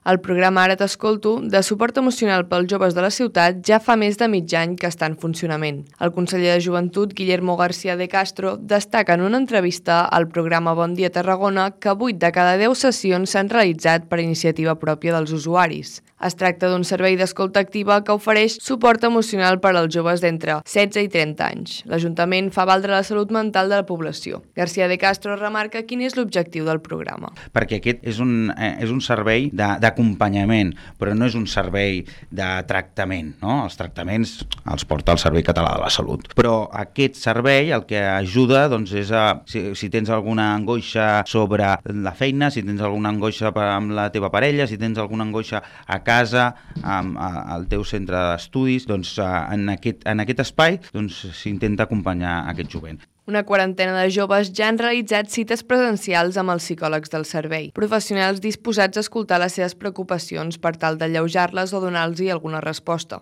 El programa Ara t'escolto, de suport emocional pels joves de la ciutat, ja fa més de mig any que està en funcionament. El conseller de Joventut, Guillermo García de Castro, destaca en una entrevista al programa Bon Dia Tarragona que 8 de cada 10 sessions s'han realitzat per iniciativa pròpia dels usuaris. Es tracta d'un servei d'escolta activa que ofereix suport emocional per als joves d'entre 16 i 30 anys. L'Ajuntament fa valdre la salut mental de la població. García de Castro remarca quin és l'objectiu del programa. Perquè aquest és un servei d'acompanyament, però no és un servei de tractament, no? Els tractaments els porta el Servei Català de la Salut. Però aquest servei el que ajuda doncs, és si tens alguna angoixa sobre la feina, si tens alguna angoixa amb la teva parella, si tens alguna angoixa a casa, al teu centre d'estudis, doncs en aquest espai s'intenta acompanyar aquest jovent. Una quarantena de joves ja han realitzat cites presencials amb els psicòlegs del servei, professionals disposats a escoltar les seves preocupacions per tal d'alleujar-les o donar-los alguna resposta.